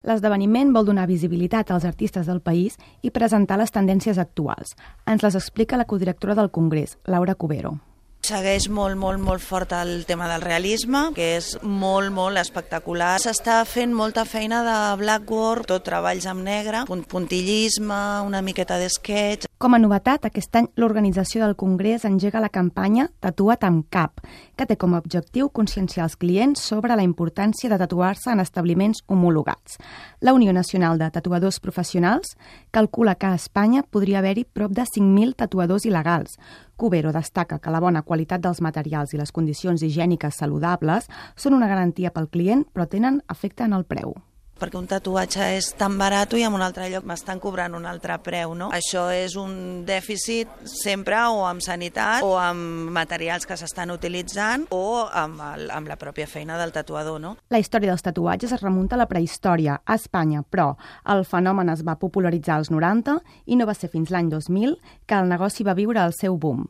L'esdeveniment vol donar visibilitat als artistes del país i presentar les tendències actuals. Ens les explica la codirectora del Congrés, Laura Cubero. Segueix molt fort el tema del realisme, que és molt espectacular. S'està fent molta feina de blackboard, tot treballs amb negre, puntillisme, una miqueta d'esquetx. Com a novetat, aquest any l'organització del Congrés engega la campanya Tatua't amb cap, que té com a objectiu conscienciar els clients sobre la importància de tatuar-se en establiments homologats. La Unió Nacional de Tatuadors Professionals calcula que a Espanya podria haver-hi prop de 5.000 tatuadors il·legals. Cubero destaca que la bona qualitat dels materials i les condicions higièniques saludables són una garantia pel client, però tenen efecte en el preu. Perquè un tatuatge és tan barat i en un altre lloc m'estan cobrant un altre preu, no? Això és un dèficit sempre o amb sanitat o amb materials que s'estan utilitzant o amb la pròpia feina del tatuador, no? La història dels tatuatges es remunta a la prehistòria, a Espanya, però el fenomen es va popularitzar als 90 i no va ser fins l'any 2000 que el negoci va viure el seu boom.